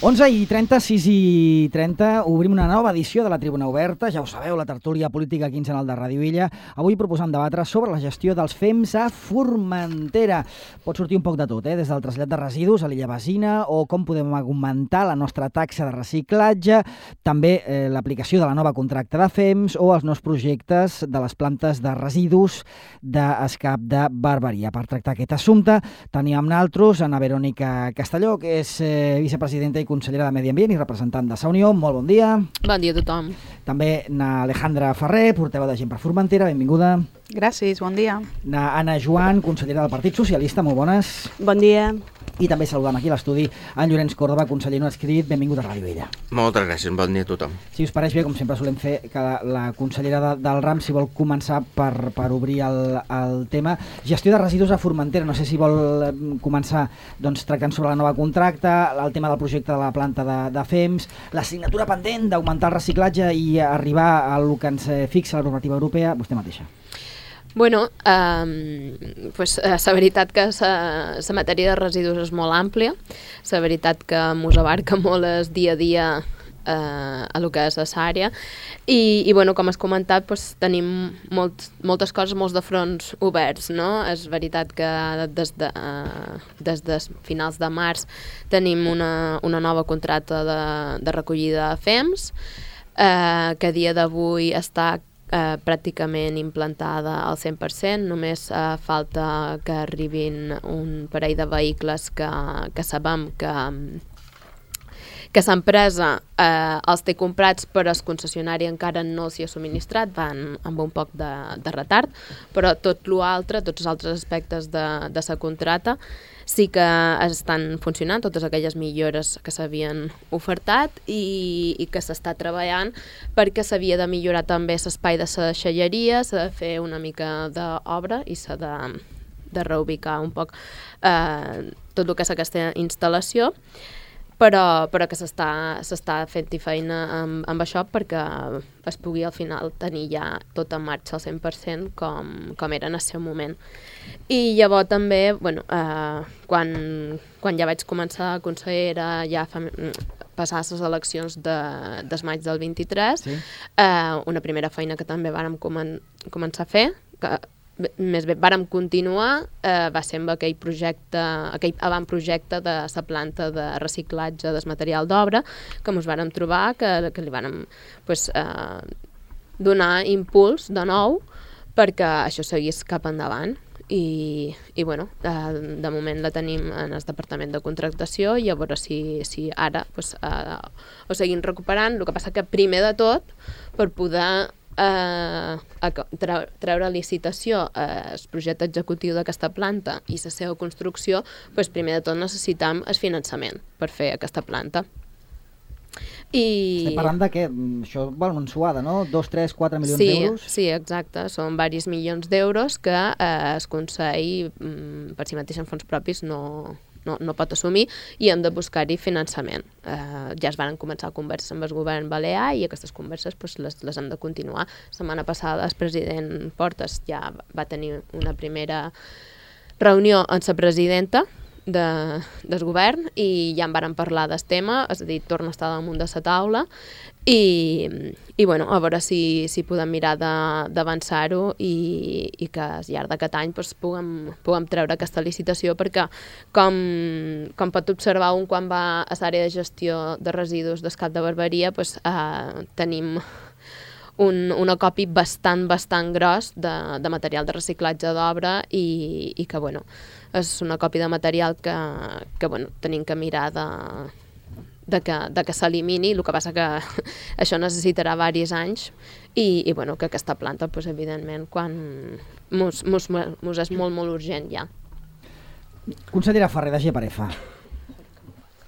11:30, 6:30, obrim una nova edició de la Tribuna Oberta. Ja ho sabeu, la tertúlia política quinzenal de Ràdio Illa. Avui proposant debatre sobre la gestió dels FEMS a Formentera. Pot sortir un poc de tot, des del trasllat de residus a l'illa Basina o com podem augmentar la nostra taxa de reciclatge, també l'aplicació de la nova contracta de FEMS o els nous projectes de les plantes de residus d'escap de Barberia. Per tractar aquest assumpte tenim amb nosaltres Ana Verònica Castelló, que és vicepresidenta i consellera de Medi Ambient i representant de Sa Unió. Molt bon dia. Bon dia a tothom. També na Alejandra Ferrer, portaveu de Gent per Formentera, benvinguda. Gràcies, bon dia. Na Anna Joan, consellera del Partit Socialista, molt bones. Bon dia. I també saludam aquí a l'estudi en Llorenç Córdoba, conseller no adscrit, benvingut a Ràdio Illa. Moltes gràcies, bon dia a tothom. Si us pareix bé, com sempre solem fer, que la consellera del RAM, si vol començar per obrir el tema. Gestió de residus a Formentera, no sé si vol començar tractant sobre la nova contracta, el tema del projecte de la planta de FEMS, l'assignatura pendent d'augmentar el reciclatge i arribar a el que ens fixa la normativa europea, vostè mateixa. Bueno, la veritat que la matèria de residus és molt àmplia, la veritat que mos abarca molt el dia a dia a lo que és l'àrea i com has comentat, tenim moltes coses, molts de fronts oberts, no? És veritat que des de finals de març tenim una nova contracta de recollida de FEMS que a dia d'avui està pràcticament implantada al 100%, només falta que arribin un parell de vehicles que sabem que l'empresa els té comprats però el concessionari encara no els hi ha subministrat, van amb un poc de retard, però tots els altres aspectes de la contracta sí que estan funcionant, totes aquelles millores que s'havien ofertat i que s'està treballant perquè s'havia de millorar també l'espai de la deixalleria, s'ha de fer una mica d'obra i s'ha de reubicar un poc tot el que és aquesta instal·lació, però que s'està fent-hi feina amb això perquè es pugui al final tenir ja tot en marxa al 100% com era en el seu moment. I llavors també, quan ja vaig començar a consellera, ja passar les eleccions del maig del 23, sí. Una primera feina que també vàrem començar a fer, més bé vàrem continuar, va ser amb aquell avantprojecte de la planta de reciclatge del material d'obra que ens vàrem trobar, que li vàrem donar impuls de nou perquè això seguís cap endavant. I de moment la tenim en el departament de contractació i a veure si ara ho seguim recuperant. El que passa que primer de tot, per poder treure a licitació el projecte executiu d'aquesta planta i la seva construcció, primer de tot necessitam el finançament per fer aquesta planta. Estem parlant de què? Això val una ensuada, no? 2, 3, 4 milions d'euros? Sí, exacte. Són diversos milions d'euros que el Consell, per si mateix en fons propis, no pot assumir i hem de buscar-hi finançament. Ja es van començar converses amb el govern balear i aquestes converses les hem de continuar. La setmana passada el president Portas ja va tenir una primera reunió amb la presidenta del govern i ja en vàrem parlar del tema, és a dir, torna a estar damunt de la taula i a veure si podem mirar d'avançar-ho i que al llarg d'aquest any puguem treure aquesta licitació perquè com pot observar quan va a l'àrea de gestió de residus d'escap de Barberia tenim un acopi bastant gros de material de reciclatge d'obra i que és una còpia de material que tenim que mirar de que s'elimini. El que passa que això necessitarà diversos anys i que aquesta planta, evidentment, quan mos és molt urgent ja. Consellera Ferrer, de GPRF.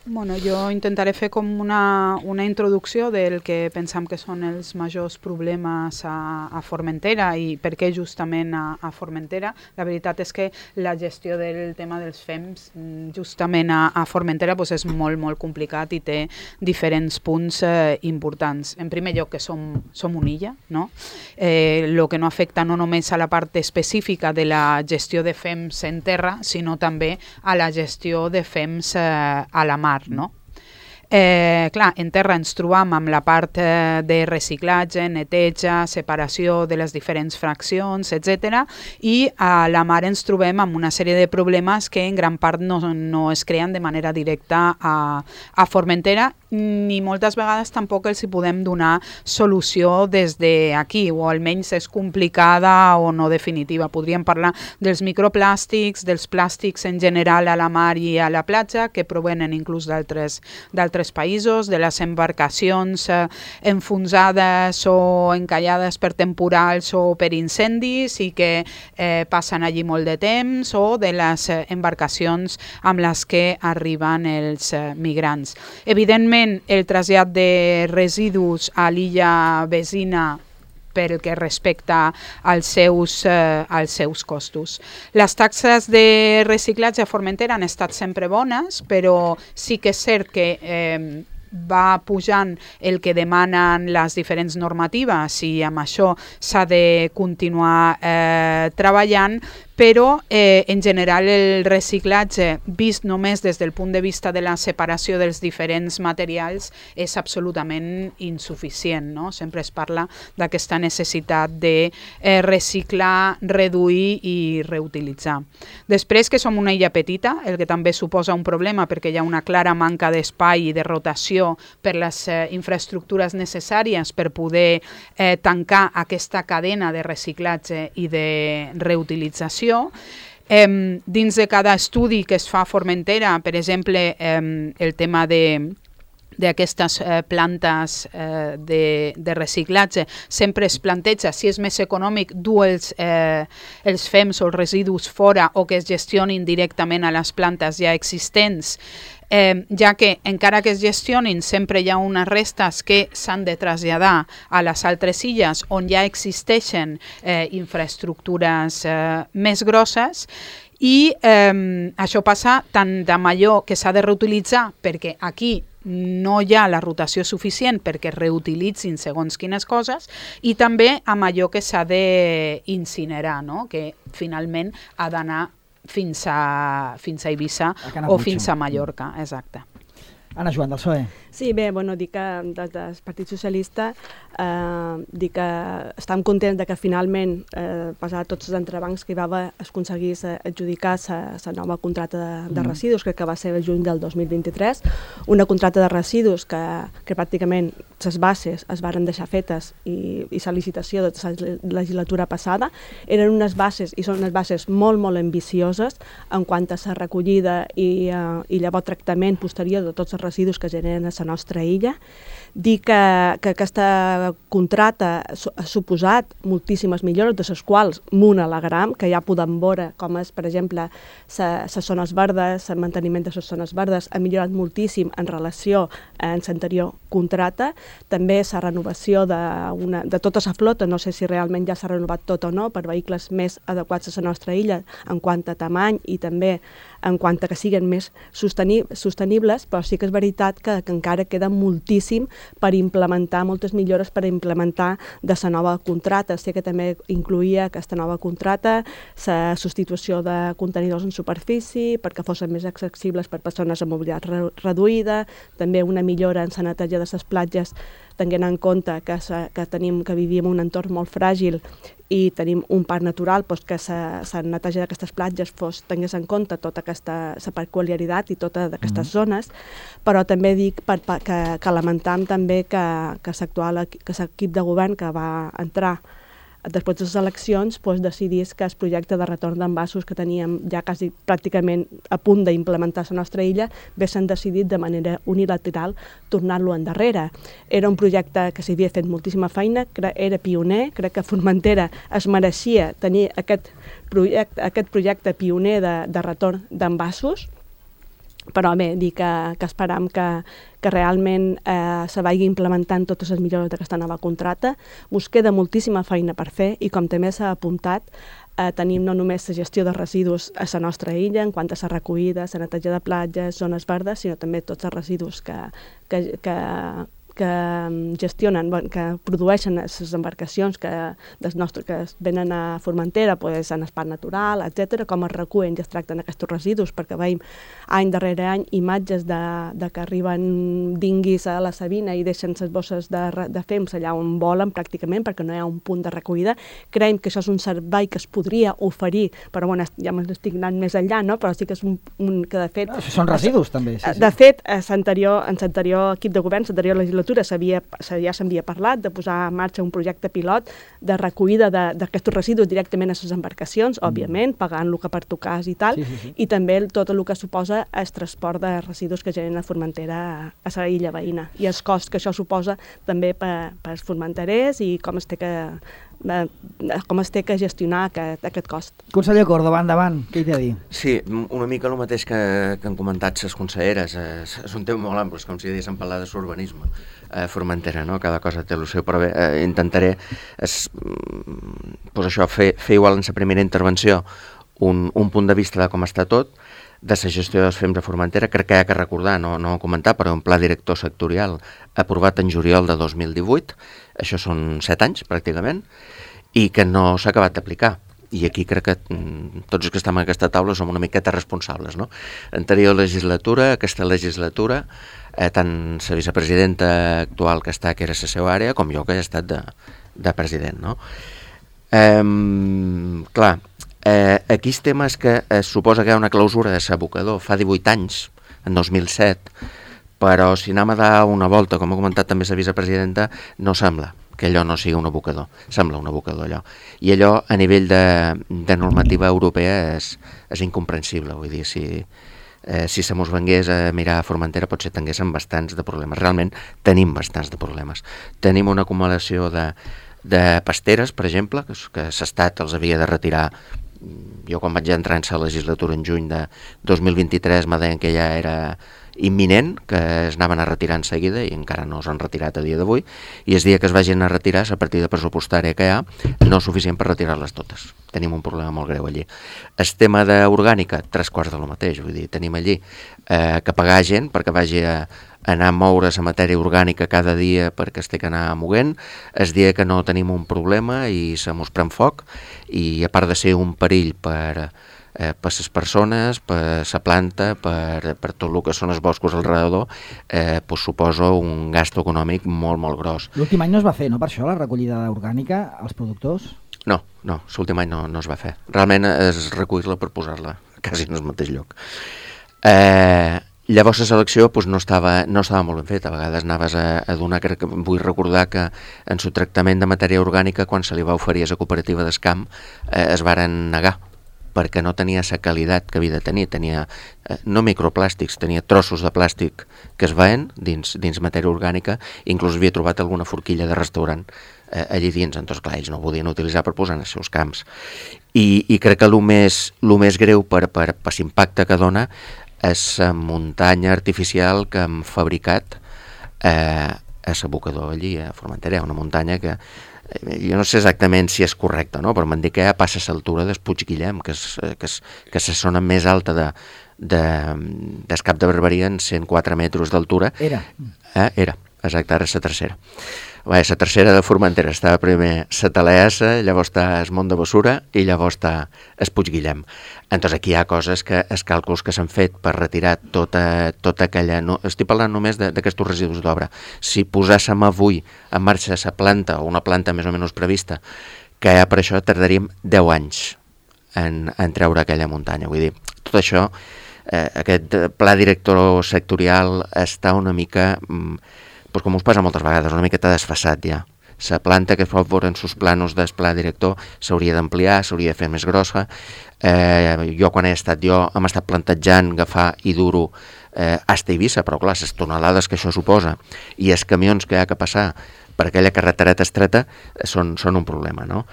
Jo intentaré fer com una introducció del que pensam que són els majors problemes a Formentera i per què justament a Formentera. La veritat és que la gestió del tema dels FEMS justament a Formentera és molt complicat i té diferents punts importants. En primer lloc que som una illa, no? El que no afecta no només a la part específica de la gestió de FEMS en terra, sinó també a la gestió de FEMS a la mar, no? Clar, en terra ens trobam amb la part de reciclatge, neteja, separació de les diferents fraccions, etc. I a la mar ens trobem amb una sèrie de problemes que en gran part no es creen de manera directa a Formentera, ni moltes vegades tampoc els hi podem donar solució des d'aquí, o almenys és complicada o no definitiva. Podríem parlar dels microplàstics, dels plàstics en general a la mar i a la platja, que provenen inclús d'altres països, de les embarcacions enfonsades o encallades per temporals o per incendis i que passen allí molt de temps, o de les embarcacions amb les que arriben els migrants. Evidentment, el trasllat de residus a l'illa vecina pel que respecta als seus costos. Les taxes de reciclatge a Formentera han estat sempre bones, però sí que és cert que va pujant el que demanen les diferents normatives i amb això s'ha de continuar treballant, però en general el reciclatge, vist només des del punt de vista de la separació dels diferents materials, és absolutament insuficient, no? Sempre es parla d'aquesta necessitat de reciclar, reduir i reutilitzar. Després, que som una illa petita, el que també suposa un problema perquè hi ha una clara manca d'espai i de rotació per les infraestructures necessàries per poder tancar aquesta cadena de reciclatge i de reutilització. Dins de cada estudi que es fa a Formentera, per exemple, el tema d'aquestes plantes de reciclatge, sempre es planteja si és més econòmic dur els fems o els residus fora o que es gestionin directament a les plantes ja existents, ja que encara que es gestionin sempre hi ha unes restes que s'han de traslladar a les altres illes on ja existeixen infraestructures més grosses, i això passa tant de allò que s'ha de reutilitzar perquè aquí no hi ha la rotació suficient perquè reutilitzin segons quines coses, i també amb allò que s'ha d'incinerar, no? Que finalment ha d'anar fins a Eivissa o fins a Mallorca. Exacte. Anna Joan, del PSOE. Sí, bé, dic que des del Partit Socialista dic que estem contents que finalment, passat tots els entrebancs que hi va haver, es aconseguís adjudicar la nova contracta de residus, crec que va ser el juny del 2023, una contracta de residus que pràcticament les bases es varen deixar fetes i la licitació de la legislatura passada eren unes bases, i són unes bases molt, molt ambicioses en quant a la recollida i llavors tractament posterior de tots els residus que generen a la nostra illa. Dir que aquesta contracta ha suposat moltíssimes millores, de les quals m'una alegram, que ja podem veure com és, per exemple, les zones verdes, el manteniment de les zones verdes ha millorat moltíssim en relació amb l'anterior contracta. També la renovació de tota la flota, no sé si realment ja s'ha renovat tot o no, per vehicles més adequats a la nostra illa en quant a tamany i també en quant a que siguin més sostenibles, però sí que és veritat que encara queda moltíssim per implementar, moltes millores per implementar de la nova contracta. Sí que també incluïa aquesta nova contracta la substitució de contenidors en superfície perquè fossin més accessibles per persones amb mobilitat reduïda, també una millora en la neteja de les platges, tenint en compte que vivim en un entorn molt fràgil i tenim un parc natural, que la neteja d'aquestes platges tingués en compte tota aquesta peculiaritat i totes aquestes zones, però també dic que lamentam també que l'equip de govern que va entrar després de les eleccions decidís que el projecte de retorn d'envasos que teníem ja quasi pràcticament a punt d'implementar a la nostra illa s'han decidit de manera unilateral tornar-lo endarrere. Era un projecte que s'havia fet moltíssima feina, era pioner, crec que Formentera es mereixia tenir aquest projecte pioner de retorn d'envasos, però bé, dir que esperam que realment se vagi implementant totes les millores d'aquesta nova contracta. Us queda moltíssima feina per fer i, com també s'ha apuntat, tenim no només la gestió de residus a la nostra illa, en quant a la recollida, la neteja de platges, zones verdes, sinó també tots els residus que que gestionen, que produeixen les embarcacions que venen a Formentera, en el parc natural, etc., com es recullen i es tracten aquests residus, perquè veiem any darrere any imatges de que arriben dinguis a la Sabina i deixen les bosses de fems allà on volen pràcticament, perquè no hi ha un punt de recollida. Creiem que això és un servei que es podria oferir, però bueno, ja m'estic anant més enllà, no? Però sí que és un que de fet... Són residus també. Sí. De fet, en l'anterior equip de govern, l'anterior legislatura, ja s'havia parlat de posar en marxa un projecte pilot de recollida d'aquests residus directament a les embarcacions, òbviament, pagant el que pertocàs i tal, i també tot el que suposa el transport de residus que generen a Formentera a la illa veïna, i els costs que això suposa també per als formenterers i com es té que gestionar aquest cost. Conseller Córdoba, endavant, què hi té a dir? Sí, una mica el mateix que han comentat les conselleres. És un tema molt ampli, com si diguéssim parlar de l'urbanisme a Formentera, no? Cada cosa té el seu, però bé, intentaré fer igual en la primera intervenció un punt de vista de com està tot, de la gestió dels fems a Formentera. Crec que hi ha que recordar, no comentar, però un pla director sectorial aprovat en juliol de 2018, això són 7 anys pràcticament, i que no s'ha acabat d'aplicar. I aquí crec que tots els que estem en aquesta taula som una miqueta responsables, no? Anterior legislatura, aquesta legislatura, tant la vicepresidenta actual que està, que era la seva àrea, com jo que he estat de president, no? Clar, aquí el tema és que es suposa que hi ha una clausura de l'abocador fa 18 anys, en 2007, però si anem a dar una volta, com ha comentat també la vicepresidenta, no sembla que allò no sigui un abocador, sembla un abocador allò. I allò a nivell de normativa europea és incomprensible, vull dir, si se mos vengués a mirar a Formentera potser tinguéssim bastants de problemes. Realment tenim bastants de problemes. Tenim una acumulació de pasteres, per exemple, que l'Estat els havia de retirar. Jo quan vaig entrar en la legislatura en juny de 2023 me deien que ja era imminent, que es anaven a retirar en seguida i encara no s'han retirat a dia d'avui, i el dia que es vagin a retirar la partida pressupostària que hi ha no és suficient per retirar-les totes. Tenim un problema molt greu allí. El tema d'orgànica, 3/4 de lo mateix, vull dir, tenim allí que pagar gent perquè vagi a anar a moure la matèria orgànica cada dia perquè es té que anar moguent, el dia que no tenim un problema i se mos pren foc, i a part de ser un perill per les persones, per la planta, per tot el que són els boscos al redador, suposa un gast econòmic molt, molt gros. L'últim any no es va fer, no, per això, la recollida orgànica als productors? No, l'últim any no es va fer. Realment és recollir-la per posar-la quasi en el mateix lloc. Llavors la selecció no estava molt ben feta. A vegades anaves a donar, crec que vull recordar que en el tractament de matèria orgànica, quan se li va oferir a la cooperativa d'Escamp, es varen negar, perquè no tenia la qualitat que havia de tenir. Tenia no microplàstics, tenia trossos de plàstic que es veien dins matèria orgànica, inclús havia trobat alguna forquilla de restaurant allí dins. Doncs clar, ells no ho podien utilitzar per posar en els seus camps. I crec que el més greu per l'impacte que dona és la muntanya artificial que hem fabricat a l'abocador allí a Formentera. Una muntanya que jo no sé exactament si és correcte, no? Però m'han dit que ja passa a l'altura del Puig Guillem, que és la zona més alta del Cap de Barberia, en 104 metres d'altura. Era, exacte, ara és la tercera. La tercera de Formentera. Estava primer la Talaessa, llavors està el Mont de Bessura i llavors està el Puig Guillem. Entonces aquí hi ha coses els càlculs que s'han fet per retirar tota aquella... No, estic parlant només d'aquests residus d'obra. Si posàssim avui en marxa la planta, o una planta més o menys prevista, que per això tardaríem 10 anys en treure aquella muntanya. Vull dir, tot això, aquest pla director sectorial està una mica... com us passa moltes vegades, una miqueta desfasat ja. La planta que es pot veure en sus planos del pla director s'hauria d'ampliar, s'hauria de fer més grossa. Jo quan hem estat plantejant agafar i dur-ho hasta Eivissa, però clar, les tonelades que això suposa i els camions que hi ha que passar per aquella carretereta estreta són un problema, no?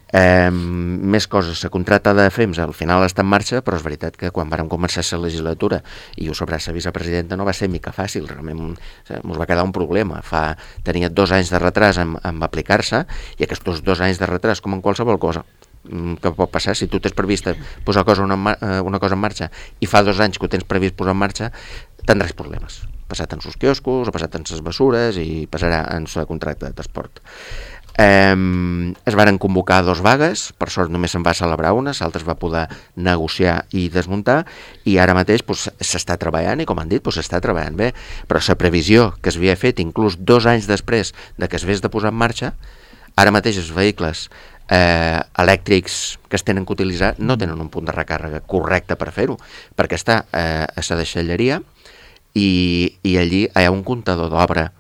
Més coses, la contracta de FEMS al final està en marxa, però és veritat que quan vàrem començar la legislatura i ho sabrà la vicepresidenta no va ser mica fàcil, realment ens va quedar un problema. Tenia 2 anys de retras en aplicar-se, i aquests 2 anys de retras, com en qualsevol cosa que pot passar, si tu tens previst posar una cosa en marxa i fa 2 anys que ho tens previst posar en marxa, tindràs problemes. passat en sus quioscos, ha passat en ses bessures i passarà en el contracte de transport. Es varen convocar 2 vagues, per sort només se'n va celebrar una, l'altra es va poder negociar i desmuntar, i ara mateix s'està treballant, i com han dit, s'està treballant bé, però la previsió que s'havia fet inclús 2 anys després de que es vés de posar en marxa, ara mateix els vehicles elèctrics que es tenen que utilitzar no tenen un punt de recàrrega correcte per fer-ho, perquè està a la deixalleria i allí hi ha un comptador d'obra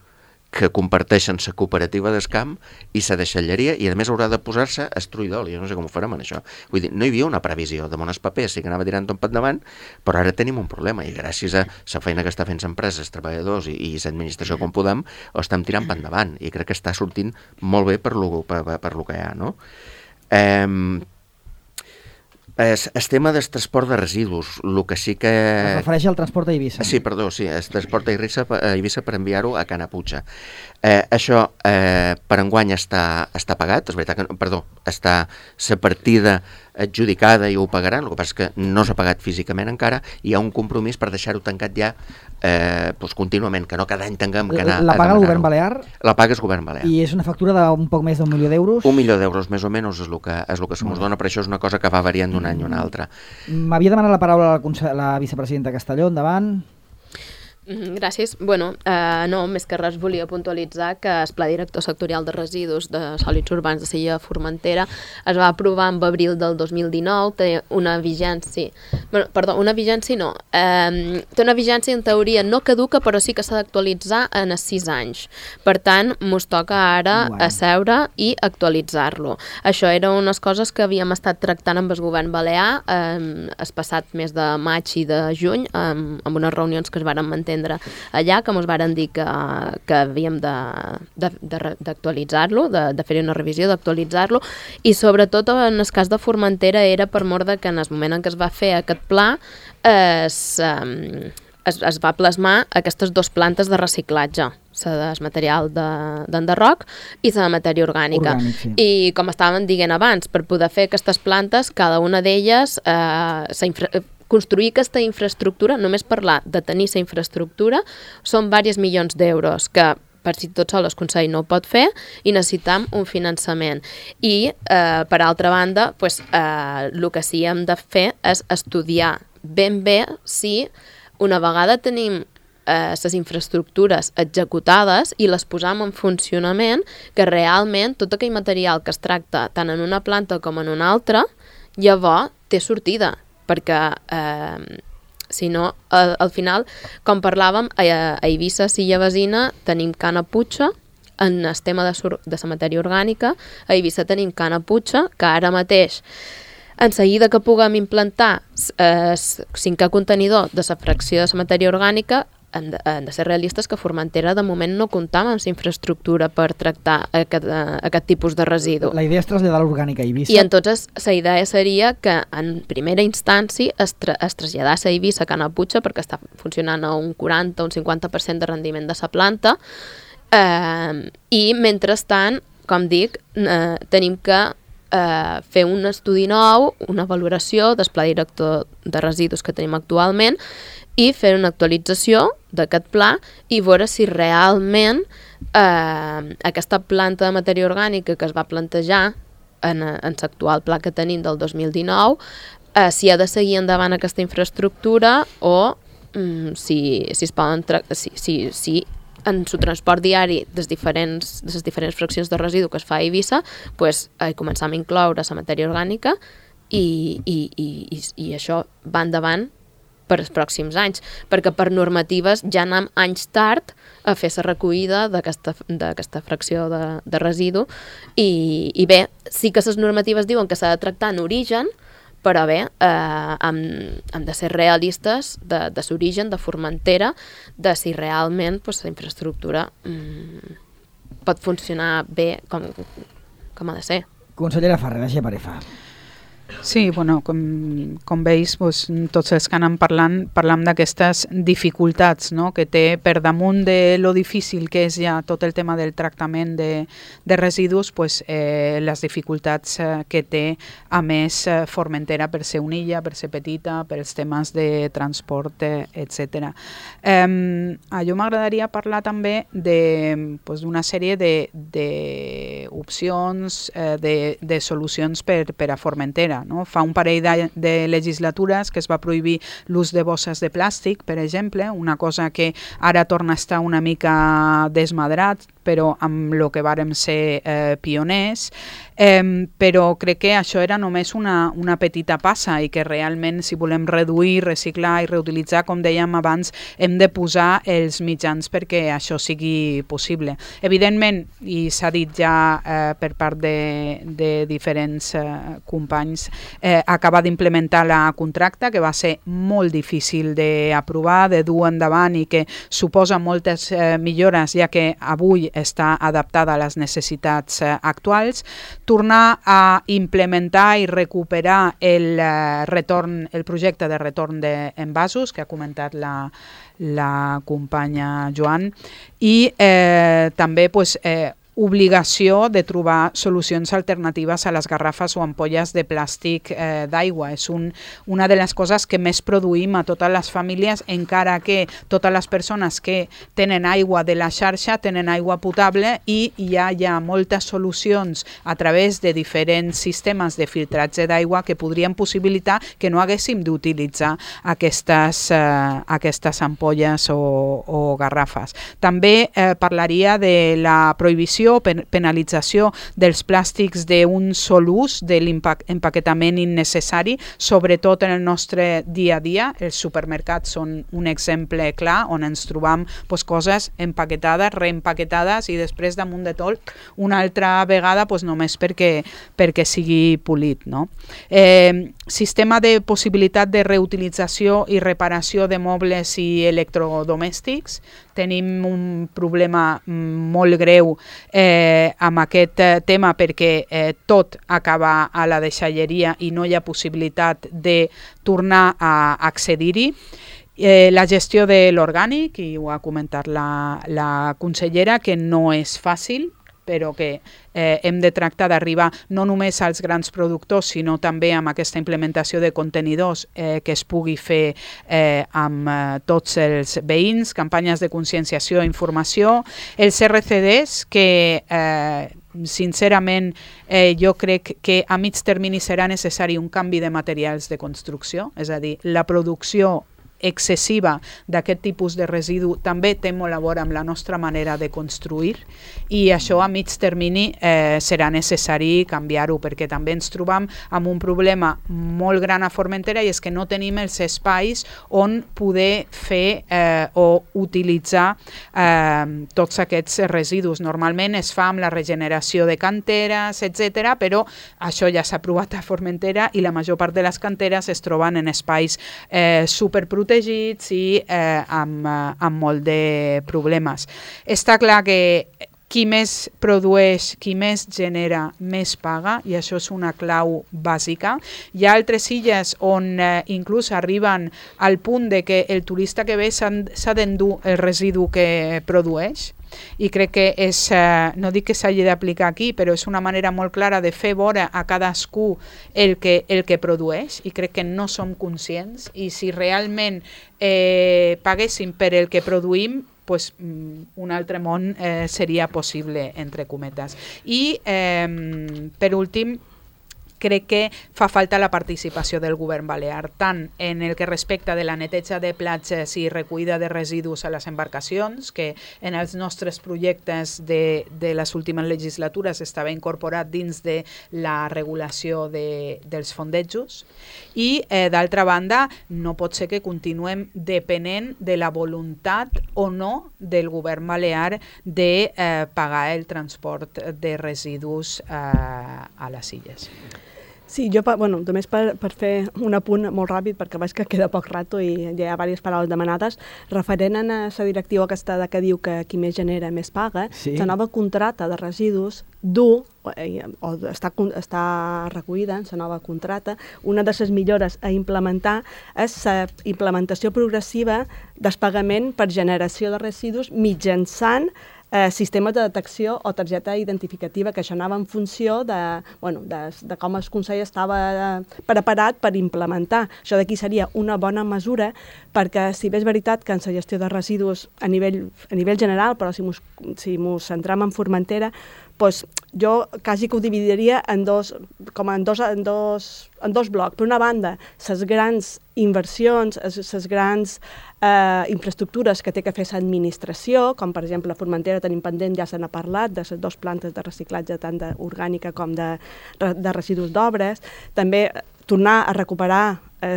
que comparteixen la cooperativa d'Escamp i la deixalleria, i a més haurà de posar-se estruïdol. Jo no sé com ho farem en això. Vull dir, no hi havia una previsió. De mones papers sí que anava tirant tot per davant, però ara tenim un problema, i gràcies a la feina que està fent l'empresa, els treballadors i l'administració com podem, ho estem tirant per endavant, i crec que està sortint molt bé per lo que hi ha, no? El tema del transport de residus, el que sí que... Es refereix al transport a Eivissa. Sí, perdó, sí, el transport a Eivissa per enviar-ho a Canaputxa. Això per enguany està pagat, és veritat que, està la partida adjudicada i ho pagaran, el que passa és que no s'ha pagat físicament encara, i hi ha un compromís per deixar-ho tancat ja contínuament, que no cada any tinguem que anar a demanar-ho. La paga el govern balear? La paga és el govern balear. I és una factura d'un poc més d'1 milió d'euros? 1 milió d'euros, més o menys, és el que se mos dona, però això és una cosa que va variant d'un any a un altre. M'havia demanat la paraula la vicepresidenta Castelló, endavant. Gràcies. Bueno, no, més que res volia puntualitzar que el Pla Director Sectorial de Residus de Sòlids Urbans de Sella Formentera es va aprovar en abril del 2019, té una vigència... una vigència no. Té una vigència en teoria no caduca, però sí que s'ha d'actualitzar en els 6 anys. Per tant, mos toca ara asseure i actualitzar-lo. Això eren unes coses que havíem estat tractant amb el govern balear el passat mes de maig i de juny, amb unes reunions que es varen mantenir allà, que ens varen dir que havíem d'actualitzar-lo, de fer una revisió, d'actualitzar-lo, i sobretot en el cas de Formentera era per mor que en el moment en què es va fer aquest pla es va plasmar aquestes 2 plantes de reciclatge, la del material d'enderroc i la de matèria orgànica. Sí. I com estàvem dient abans, per poder fer aquestes plantes, cada una d'elles construir aquesta infraestructura, només parlar de tenir la infraestructura, són diversos milions d'euros que per si tot sol el Consell no ho pot fer i necessitam un finançament. I, per altra banda, el que sí hem de fer és estudiar ben bé si una vegada tenim les infraestructures executades i les posam en funcionament, que realment tot aquell material que es tracta tant en una planta com en una altra, llavors té sortida, perquè si no, al final, com parlàvem, a Eivissa, Silla Vesina, tenim Canaputxa, en el tema de la matèria orgànica, a Eivissa tenim Canaputxa, que ara mateix, en seguida que puguem implantar el 5è contenidor de la fracció de la matèria orgànica, han de ser realistes que Formentera de moment no comptava amb la infraestructura per tractar aquest tipus de residu. La idea és traslladar l'orgànica a Eivissa. I entonces la idea seria que en primera instància es traslladés a Eivissa a Canaputxa, perquè està funcionant a un 40 o un 50% de rendiment de la planta, i mentrestant, com dic, tenim que fer un estudi nou, una valoració del pla director de residus que tenim actualment i fer una actualització d'aquest pla i veure si realment aquesta planta de matèria orgànica que es va plantejar en l'actual pla que tenim del 2019, si ha de seguir endavant aquesta infraestructura o si es poden si en el transport diari de les diferents fraccions de residu que es fa a Eivissa, començam a incloure la matèria orgànica i això va endavant per als pròxims anys, perquè per normatives ja anem anys tard a fer la recollida d'aquesta fracció de residu i bé, sí que les normatives diuen que s'ha de tractar en origen, però bé, hem de ser realistes de l'origen de Formentera, de si realment la infraestructura pot funcionar bé com ha de ser. Consellera Ferrer, de Geparefa. Sí, bueno, com veus, doncs, tots els que anem parlam d'aquestes dificultats, no?, que té per damunt de lo difícil que és ja tot el tema del tractament de residus, pues, les dificultats que té, a més, Formentera per ser una illa, per ser petita, pels temes de transport, etc. A jo m'agradaria parlar també d'una sèrie d'opcions, de solucions per a Formentera. No? Fa un parell de legislatures que es va prohibir l'ús de bosses de plàstic, per exemple, una cosa que ara torna a estar una mica desmadrat, però amb el que vàrem ser pioners, però crec que això era només una petita passa i que realment si volem reduir, reciclar i reutilitzar, com dèiem abans, hem de posar els mitjans perquè això sigui possible. Evidentment, i s'ha dit ja per part de diferents companys, acaba d'implementar la contracta, que va ser molt difícil d'aprovar, de dur endavant i que suposa moltes millores, ja que avui està adaptada a les necessitats actuals, tornar a implementar i recuperar el projecte de retorn d'envasos, que ha comentat la companya Joan, i també obligació de trobar solucions alternatives a les garrafes o ampolles de plàstic d'aigua. És una de les coses que més produïm a totes les famílies, encara que totes les persones que tenen aigua de la xarxa tenen aigua potable i ja hi ha moltes solucions a través de diferents sistemes de filtratge d'aigua que podrien possibilitar que no haguéssim d'utilitzar aquestes ampolles o garrafes. També parlaria de la prohibició o penalització dels plàstics d'un sol ús, de l'empaquetament innecessari, sobretot en el nostre dia a dia. Els supermercats són un exemple clar on ens trobam coses empaquetades, reempaquetades i després damunt de tot una altra vegada només perquè sigui polit. No? Sistema de possibilitat de reutilització i reparació de mobles i electrodomèstics. Tenim un problema molt greu amb aquest tema perquè tot acaba a la deixalleria i no hi ha possibilitat de tornar a accedir-hi. La gestió de l'orgànic, i ho ha comentat la consellera, que no és fàcil, però que hem de tractar d'arribar no només als grans productors, sinó també amb aquesta implementació de contenidors que es pugui fer amb tots els veïns, campanyes de conscienciació i informació. Els RCDs, que sincerament jo crec que a mig termini serà necessari un canvi de materials de construcció, és a dir, la producció excessiva d'aquest tipus de residu també té molt a veure amb la nostra manera de construir i això a mig termini serà necessari canviar-ho perquè també ens trobam amb un problema molt gran a Formentera i és que no tenim els espais on poder fer o utilitzar tots aquests residus. Normalment es fa amb la regeneració de canteres, etc., però això ja s'ha provat a Formentera i la major part de les canteres es troben en espais superprotegits i amb molt de problemes. Està clar que qui més produeix, qui més genera, més paga, i això és una clau bàsica. Hi ha altres illes on inclús arriben al punt de que el turista que ve s'ha d'endur el residu que produeix, i crec que és, no dic que s'hagi d'aplicar aquí, però és una manera molt clara de fer veure a cadascú el que produeix, i crec que no som conscients, i si realment paguéssim per el que produïm, un altre món seria possible, entre cometes. I, per últim, crec que fa falta la participació del govern balear, tant en el que respecta de la neteja de platges i recollida de residus a les embarcacions, que en els nostres projectes de les últimes legislatures estava incorporat dins de la regulació dels fondejos, i d'altra banda no pot ser que continuem depenent de la voluntat o no del govern balear de pagar el transport de residus a les illes. Sí, jo, només per fer un apunt molt ràpid, perquè veig que queda poc rato i ja hi ha diverses paraules demanades, referent a la directiva aquesta que diu que qui més genera més paga, la nova contracta de residus o està recollida en la nova contracta. Una de les millores a implementar és la implementació progressiva del pagament per generació de residus mitjançant sistemes de detecció o targeta identificativa, que això anava en funció de com el Consell estava preparat per implementar. Això d'aquí seria una bona mesura, perquè si bé és veritat que en la gestió de residus a nivell general, però si ens centram en Formentera, doncs jo quasi que ho dividiria en dos blocs. Per una banda, les grans inversions, les grans infraestructures que té que fer l'administració, com per exemple a Formentera tenim pendent, ja se n'ha parlat, de les 2 plantes de reciclatge tant d'orgànica com de residus d'obres. També tornar a recuperar el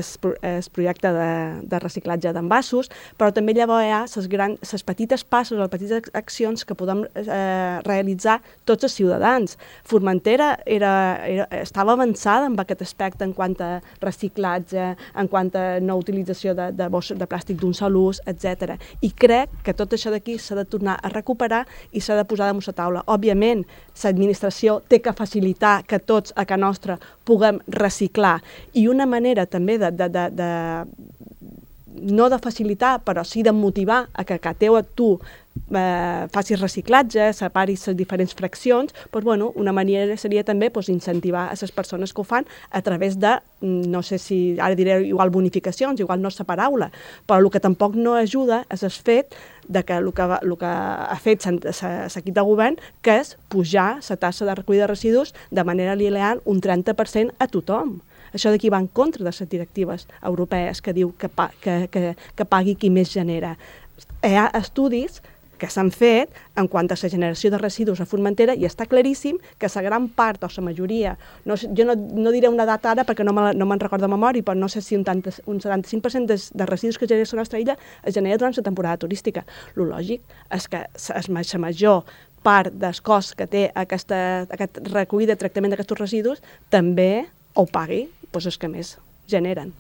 projecte de reciclatge d'envasos, però també llavors hi ha les petites passes o les petites accions que podem realitzar tots els ciutadans. Formentera estava avançada en aquest aspecte en quant a reciclatge, en quant a no utilització de bosses de plàstic d'un sol ús, etc. I crec que tot això d'aquí s'ha de tornar a recuperar i s'ha de posar damunt la taula. Òbviament, l'administració té que facilitar que tots a casa nostra puguem reciclar, i una manera també no de facilitar, però sí de motivar a que tu facis reciclatge, separis les diferents fraccions, una manera seria també incentivar a les persones que ho fan a través de, no sé si ara diré igual bonificacions, igual no és la paraula, però el que tampoc no ajuda és el fet de que el que ha fet l'equip de govern, que és pujar la tassa de recollida de residus de manera lineal un 30% a tothom. Això d'aquí va en contra de les directives europees que diu que pagui qui més genera. Hi ha estudis que s'han fet en quant a la generació de residus a Formentera i està claríssim que la gran part o la majoria, jo no diré una data ara perquè no me'n recordo de memòria, però no sé si un 75% de residus que genera la nostra illa es genera durant la temporada turística. El lògic és que la major part del cost que té aquest recollida i tractament d'aquests residus també ho pagui els que més generen.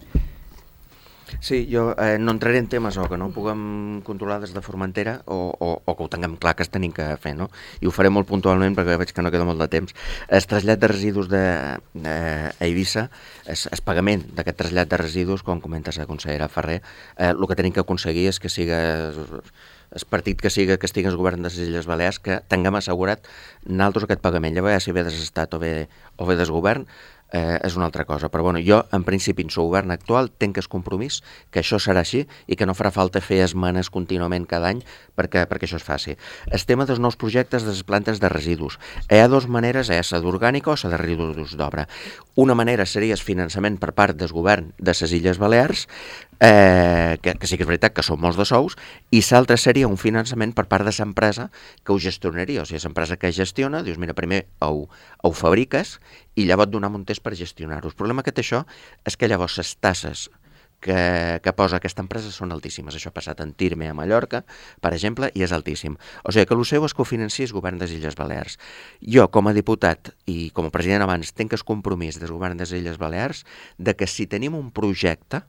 Sí, jo no entraré en temes o que no puguem controlar des de Formentera o que ho tinguem clar que es tenim que fer, no? I ho faré molt puntualment perquè veig que no queda molt de temps. El trasllat de residus a Eivissa, el pagament d'aquest trasllat de residus, com comenta la consellera Ferrer, el que tenim que aconseguir és que siga el partit que estigui al govern de les Illes Balears, que tinguem assegurat nosaltres aquest pagament. Llavors, ja si ve des l'Estat o ve des govern, és una altra cosa, però jo en principi en el govern actual tenc el compromís que això serà així i que no farà falta fer esmenes contínuament cada any perquè això es faci. El tema dels nous projectes de les plantes de residus. Hi ha 2 maneres, la d'orgànica o la de residus d'obra. Una manera seria el finançament per part del govern de les Illes Balears, que sí que és veritat que són molts de sous, i l'altra seria un finançament per part de l'empresa que ho gestionaria. O sigui, l'empresa que gestiona, dius, mira, primer ho fabriques i llavors et donem un test per gestionar-ho. El problema que té això és que llavors les tasses que posa aquesta empresa són altíssimes. Això ha passat en Tirme a Mallorca, per exemple, i és altíssim. O sigui que el seu és que ho financi el govern de les Illes Balears. Jo, com a diputat i com a president abans, tenc el compromís del govern de les Illes Balears de que si tenim un projecte,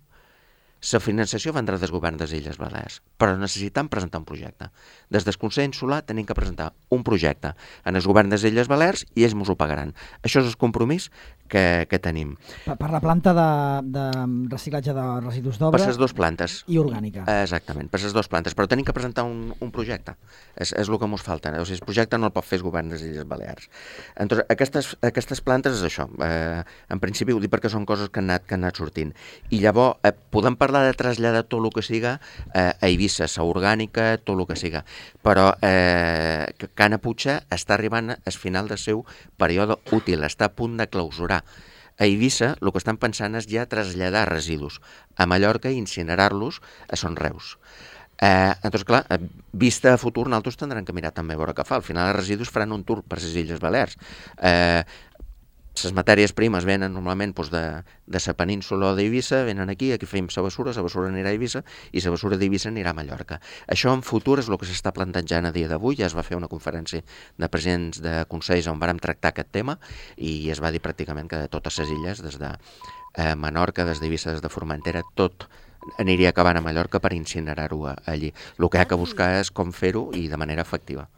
la finançació vendrà del govern de les Illes Balears, però necessitem presentar un projecte. Des del Consell Insular tenim que presentar un projecte en el govern de les Illes Balears i ells ens ho pagaran. Això és el compromís que tenim. Per la planta de reciclatge de residus d'obra... Per les 2 plantes. I orgànica. Exactament, per les 2 plantes, però tenim que presentar un projecte. És el que ens falta. O sigui, el projecte no el pot fer el govern de les Illes Balears. Entonces, aquestes plantes és això. En principi ho dic perquè són coses que han anat sortint. I llavors podem parlar de traslladar tot el que siga a Eivissa, a orgànica, tot el que siga. Però Cana Puig està arribant al final del seu període útil, està a punt de clausurar. A Eivissa el que estan pensant és ja traslladar residus a Mallorca i incinerar-los a Son Reus. Entonces, clar, vista a futur, nosaltres tindrem que mirar també a veure què fa. Al final els residus faran un tour per les Illes Balears. les matèries primes venen normalment de la península o d'Eivissa, venen aquí fem la bessura anirà a Eivissa i la bessura d'Eivissa anirà a Mallorca. Això en futur és el que s'està plantejant a dia d'avui. Ja es va fer una conferència de presidents de consells on vàrem tractar aquest tema i es va dir pràcticament que de totes les illes, des de Menorca, des d'Eivissa, des de Formentera, tot aniria acabant a Mallorca per incinerar-ho allí. El que hi ha que buscar és com fer-ho i de manera efectiva.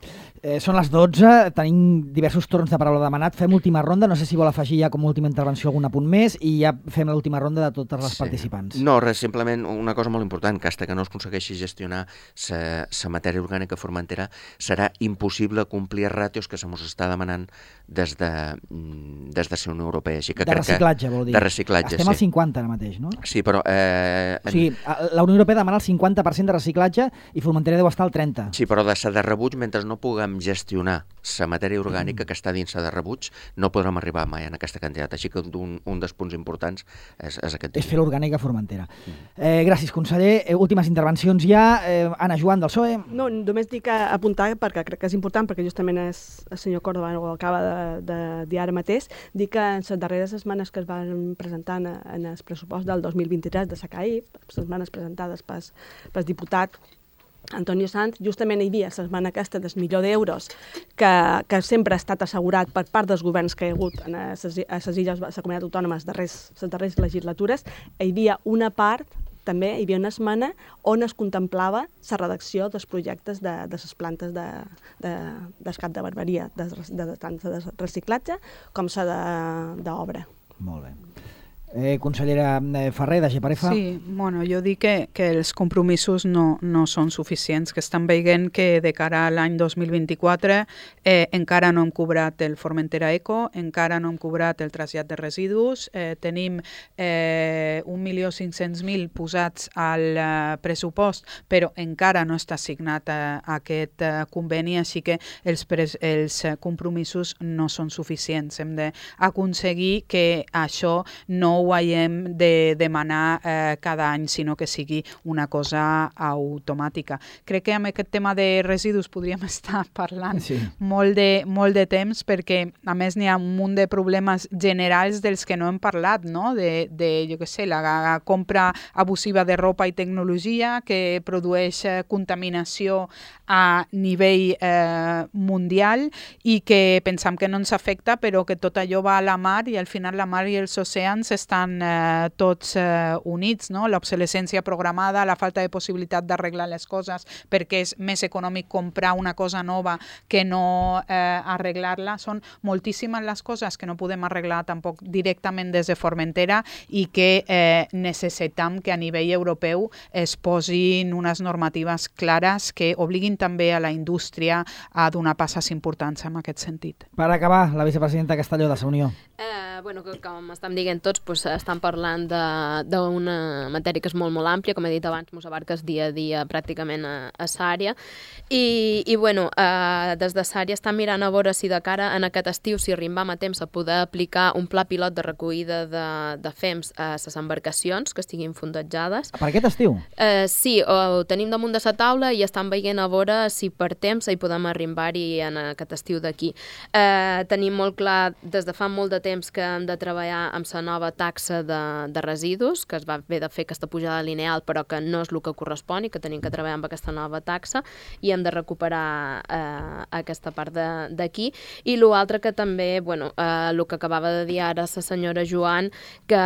Són les 12, tenim diversos torns de paraula demanat, fem última ronda, no sé si vol afegir ja com a última intervenció algun apunt més i ja fem l'última ronda de totes les participants. No, res, simplement una cosa molt important, que fins que no es aconsegueixi gestionar la matèria orgànica formentera serà impossible complir els ràtios que se mos està demanant des de la Unió Europea. Així que de reciclatge, vol dir. De reciclatge, estem al 50 ara mateix, no? Sí, però... O sigui, la Unió Europea demana el 50% de reciclatge i Formentera deu estar al 30%. Sí, però de la de rebuig, mentre no puguem gestionar la matèria orgànica que està dins la de rebuig, no podrem arribar mai en aquesta quantitat. Així que un dels punts importants és aquest. És fer l'orgànica a Formentera. Gràcies, conseller. Últimes intervencions ja. Anna Joan, del PSOE. No, només dic apuntar, perquè crec que és important, perquè justament el senyor Córdoba ho acaba de dir ara mateix, dir que en les darreres esmenes que es van presentar en el pressupost del 2023 de SACAI, les esmenes presentades pel diputat Antonio Sanz, justament hi havia l'esmena aquesta del $1.000.000 que sempre ha estat assegurat per part dels governs que hi ha hagut a les illes, a la comunitat autònoma, les darreres legislatures. Hi havia una part, també hi havia una esmena on es contemplava la redacció dels projectes de les plantes d'escat de barberia, tant de reciclatge com la d'obra. Molt bé. Consellera Ferrer, de Geparefa. Sí, bueno, jo dic que els compromisos no són suficients, que estan veient que de cara a l'any 2024 encara no hem cobrat el Formentera Eco, encara no hem cobrat el trasllat de residus, tenim 1.500.000 posats al pressupost, però encara no està signat aquest conveni, així que els compromisos no són suficients. Hem d'aconseguir que això no ho haguem de demanar cada any, sinó que sigui una cosa automàtica. Crec que amb aquest tema de residus podríem estar parlant molt de temps, perquè a més n'hi ha un munt de problemes generals dels que no hem parlat, no? Jo què sé, la compra abusiva de roba i tecnologia que produeix contaminació a nivell mundial i que pensam que no ens afecta, però que tot allò va a la mar i al final la mar i els oceans estan tots units, no? L'obsolescència programada, la falta de possibilitat d'arreglar les coses perquè és més econòmic comprar una cosa nova que no arreglar-la. Són moltíssimes les coses que no podem arreglar tampoc directament des de Formentera i que necessitem que a nivell europeu es posin unes normatives clares que obliguin també a la indústria a donar passes importants en aquest sentit. Per acabar, la vicepresidenta Castelló de la Unió. Com estem dient tots, estan parlant d'una matèria que és molt, molt àmplia, com he dit abans, mos abarques dia a dia pràcticament a Sària, i des de Sària estan mirant a veure si de cara en aquest estiu, si arribam a temps a poder aplicar un pla pilot de recollida de FEMS a les embarcacions que estiguin fondejades. Per aquest estiu? Sí, ho tenim damunt de la taula i estan veient a veure si per temps hi podem arribar-hi en aquest estiu d'aquí. Tenim molt clar, des de fa molt de temps, que hem de treballar amb la nova taxa de residus, que es va haver de fer aquesta pujada lineal, però que no és el que correspon i que tenim que treballar amb aquesta nova taxa i hem de recuperar aquesta part d'aquí. I l'altre que també, el que acabava de dir ara la senyora Joan, que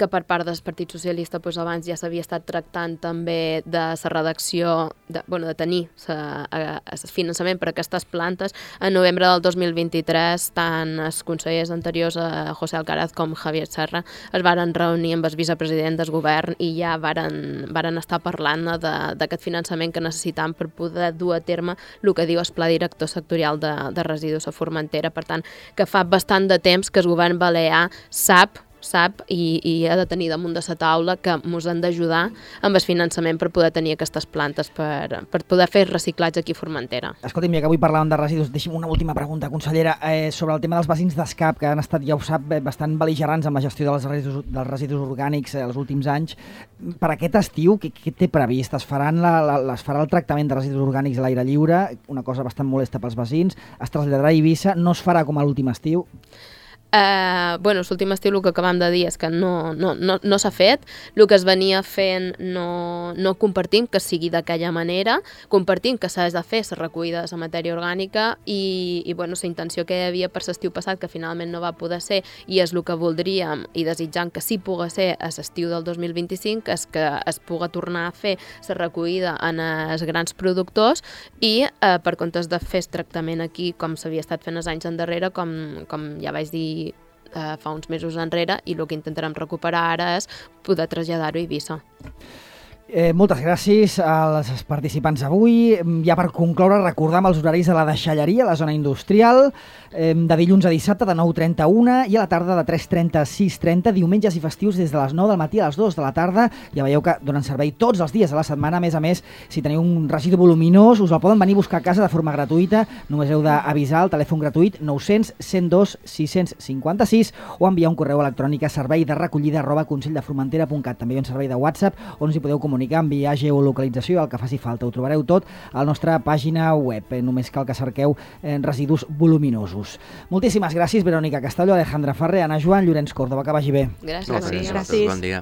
per part del Partit Socialista abans ja s'havia estat tractant també de la redacció, de tenir el finançament per a aquestes plantes. En novembre del 2023, tant els consellers anteriors, José Alcaraz com Javier Serra, es varen reunir amb el vicepresident del govern i ja varen estar parlant d'aquest finançament que necessitam per poder dur a terme el que diu el Pla Director Sectorial de Residus a Formentera. Per tant, que fa bastant de temps que el govern balear sap sap i ha de tenir damunt de la taula que ens han d'ajudar amb el finançament per poder tenir aquestes plantes, per poder fer reciclatge aquí a Formentera. Escolti'm, ja que avui parlàvem de residus, deixi'm una última pregunta, consellera, sobre el tema dels vecins d'Escap, que han estat, ja ho sap, bastant bel·ligerants amb la gestió dels residus orgànics els últims anys. Per aquest estiu, què té previst? Es farà el tractament de residus orgànics a l'aire lliure, una cosa bastant molesta pels vecins, es traslladarà a Eivissa, no es farà com a l'últim estiu? L'últim estiu el que acabam de dir és que no s'ha fet. El que es venia fent no compartim que sigui d'aquella manera, compartim que s'ha de fer la recollida de la matèria orgànica i la intenció que hi havia per l'estiu passat, que finalment no va poder ser, i és el que voldríem i desitjant que sí pugui ser a l'estiu del 2025, és que es pugui tornar a fer la recollida en els grans productors i per comptes de fer el tractament aquí com s'havia estat fent els anys endarrere, com ja vaig dir fa uns mesos enrere, i el que intentarem recuperar ara és poder traslladar-ho a Eivissa. Moltes gràcies als participants avui. Ja per concloure, recordam els horaris de la deixalleria a la zona industrial, de dilluns a dissabte de 9:30 a 1 i a la tarda de 3:30 a 6:30, diumenges i festius des de les 9 del matí a les 2 de la tarda. Ja veieu que donen servei tots els dies de la setmana. A més, si teniu un residu voluminós, us el poden venir a buscar a casa de forma gratuïta. Només heu d'avisar el telèfon gratuït 900 102 656 o enviar un correu electrònic a servei-de-recollida@conselldefromentera.cat. També hi ha un servei de WhatsApp on us hi podeu comunicar, enviar geolocalització, el que faci falta. Ho trobareu tot a la nostra pàgina web. Només cal que cerqueu residus voluminosos. Moltíssimes gràcies, Verònica Castelló, Alejandra Ferrer, Anna Joan, Llorenç Córdoba. Que vagi bé. Gràcies. Gràcies. Bon dia.